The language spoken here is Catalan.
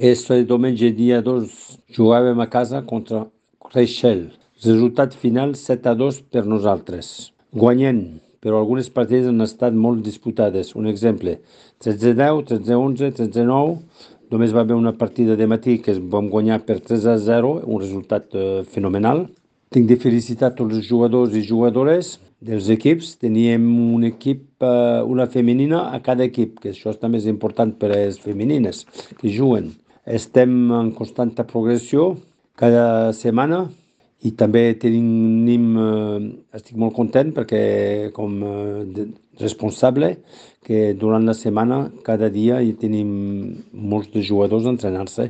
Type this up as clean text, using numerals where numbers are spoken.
Este diumenge, dia 2, jugàvem a casa contra Reixel. Resultat final 7-2 per nosaltres. Guanyem, però algunes partides han estat molt disputades. Un exemple, 13-10, 13-11, 13-9. Només va haver una partida de matí que vam guanyar per 3-0, un resultat fenomenal. Tinc de felicitar tots els jugadors i jugadores dels equips. Teníem un equip, una femenina a cada equip, que això també és important per a les femenines que juguen. Estem en constant progressió cada setmana i també estic molt content perquè com responsable que durant la setmana cada dia hi tenim molts de jugadors a entrenar-se.